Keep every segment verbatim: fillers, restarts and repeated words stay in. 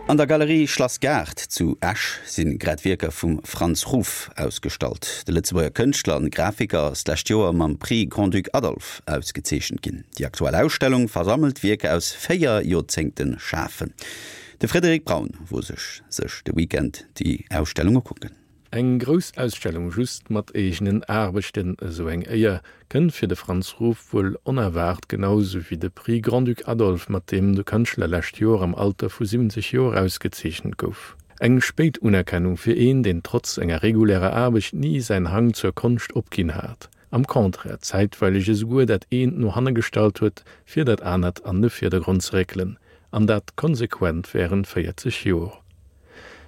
An der Galerie Schlass Gaart zu Esch si grad Wierker vum Franz Ruf ausgestallt. De Lëtzebuerger Kënschtler an Grafiker ass d'lescht Joer mam Prix Grand-Duc Adolphe ausgezeechent ginn. Déi aktuell Ausstellung versammelt Wierker aus véier Joerzéngte Schafen. De Frédéric Braun wor sech sech de Weekend déi Ausstellung ukucken. Eng grouss Ausstellung just mat eegenen Aarbechten, esou eng Éier kënnt fir de Franz Ruf wuel onerwaart, genau sou wéi de Prix Grand-Duc Adolphe, mat deem de Kënschtler lescht Joer am Alter vu siwwenzeg Joer ausgezeechent gouf. Eng spéit Unerkennung fir een, deen trotz enger regulärer Aarbecht ni säin Hang zur Konscht opginn hat, am Contraire zäitweileg esouguer dat eent no hanne gestallt huet, fir dat anert an de Virdergrond ze réckelen, an dat konsequent wärend véierzeg Joer.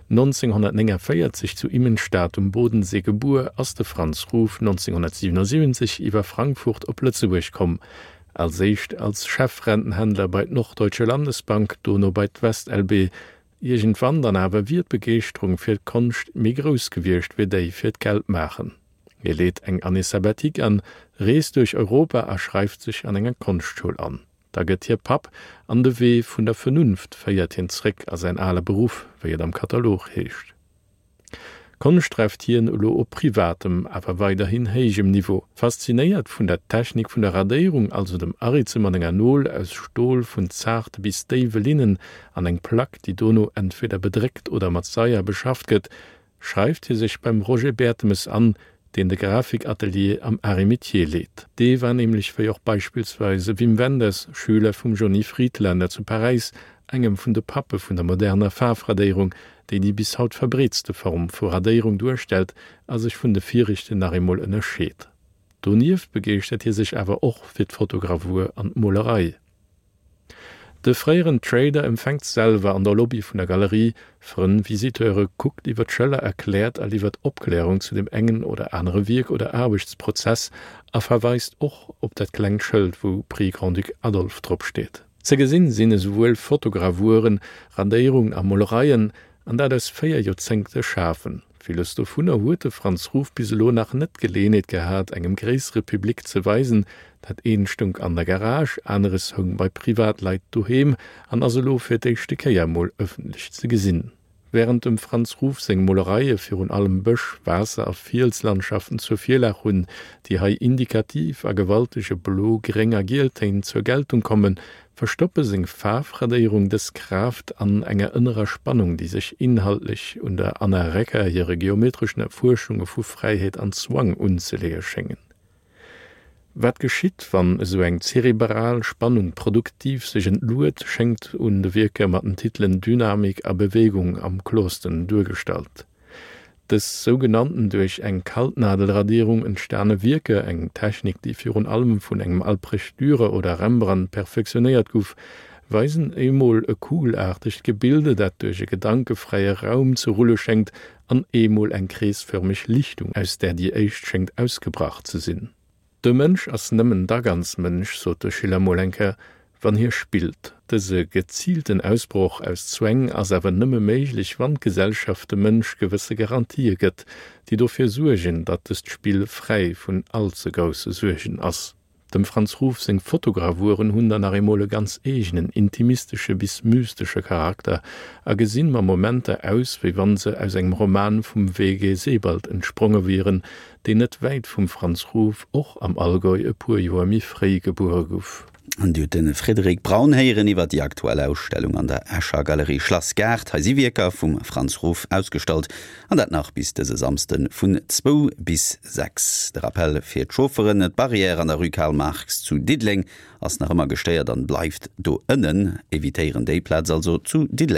nonzénghonnertnéngavéierzeg zu Immenstaad um Bodensee gebuer, ass de Franz Ruf nonzénghonnertsiwwenosiwwenzeg iwwer Frankfurt op Lëtzebuerg komm, als éischt als Chefrentenhändler bei d'Norddeutsche Landesbank, dono bei d'WestLB. Iergendwann dann awer wier d'Begeeschterung fir d'Konscht méi grouss gewiescht wéi déi fir d'Geldmaachen. Hie leet eng Année sabbatique an, reest duerch Europa a schreift sech an enger Konschtschoul an. Da gëtt hie Papp an de Wee vun der Vernunft féiert hien zréck a säin ale Beruff, wéi et am Katalog heescht. Konscht dreift hien elo op privatem, awer weiderhin héijem Niveau. Faszinéiert vun der Technik vun der Radéierung, also dem Aritze mat enger Nol aus Stol vun zaarte bis déiwe Linnen an eng Plack, déi dono entweder bedréckt oder mat Saier beschafft gëtt, schreift hie sech beim Roger Bertemes an, deen de Grafikatelier am Arts et Métiers leet. Dee war nämlech, wéi och beispillsweis e Wim Wenders, Schüler vum Johnny Friedlaender zu Paräis, engem vun de Pappe vun der moderner Faarfradéierung, déi déi bis haut verbreetste Form vu Radéierung duerstellt a sech vun de viregten nach eemol ënnerscheet. Donieft begeeschtert hie sech awer och fir d'Fotogravur an d'Molerei. De fréieren Trader empfänkt selwer an der Lobby vun der Galerie Frënn, Visiteure, kuckt iwwer d'Schëller, erkläert a liwwert Opklärung zu deem engen oder anere Wierk oder Aarbechtsprozess a verweist och op dat klengt Schëld, wou Prix Grand-Duc Adolphe drop steet. Ze gesinn sinn esouwuel Fotogravuren, Radéierungen a Molereien, an dat aus véier Joerzéngte Schafen. Villes dovunner huet de Franz Ruf bis elo nach net d'Geleeënheet gehat, engem gréissere Public ze weisen. Dat eent stoung an der Garage, aneres houng bei Privatleit doheem an ass elo fir d'éischte Kéier emol ëffentlech ze gesinn. Wärend dem Franz Ruf seng Molereie virun allem Bësch-, Waasser a Fielslandschaften zur Virlag hunn, déi hei indikativ a gewaltege Blo-, Gréng a Gieltéin zur Geltung kommen, verstoppe seng Faarfradéierung dës Kraaft an enger ënnerer Spannung, déi sech inhaltlech un der Anna Recker hire geometreschen Erfuerschunge vu Fräiheet an Zwang unzeleeë schéngen. Wat geschitt, wann esou eng zerebral Spannung produktiv sech entluet, schéngt un de Wierker mat den Titelen Dynamik a Bewegung am kloersten duergestallt. Dës sougenannten duerch eng Kaltnadelradierung entstane Wierker, eng Technik, déi virun allem vun engem Albrecht Dürer oder Rembrandt perfektionéiert gouf, weisen eemol e kugelaartegt Gebilde, dat duerch e gedankefräie Raum ze rulle schéngt, an eemol eng kreesfërmeg Lichtung, aus där déi éischt schéngt ausgebrach ze sinn. De Mënsch ass nëmmen da ganz Mënsch, sot de Schiller mol eng Kéier, wann hie spillt. Dëse geziilten Ausbroch aus Zwäng ass awer nëmme méiglech, wann d'Gesellschaft dem Mënsch gewësse Garantië gëtt, déi dofir suergen, datt dëst Spill fräi vun all ze grousse Suergen ass. Dem Franz Ruf seng Fotogravuren hunn dann nach eemol e ganz eegenen, intimistesche bis mystesche Charakter a gesinn mer Momenter aus, wéi wann se aus engem Roman vum W. G. Sebald entspronge wieren, deen net wäit vum Franz Ruf och am Allgäu e puer Joer méi fréi gebuere guff. An Dir hutt de Frédéric Braun héieren iwwer déi aktuell Ausstellung an der Escher Galerie Schlass Gaart. Hei si Wierker vum Franz Ruf ausgestallt, an dat nach bis dëse Samsde vun zwou bis sechs. De Rappell fir d'Chaufferen, D'Barrière an der Rue Karl Marx zu Diddeleng ass nach ëmmer gestéiert an bleift do ënnen. Evitéieren déi Plaz also zu Diddeleng.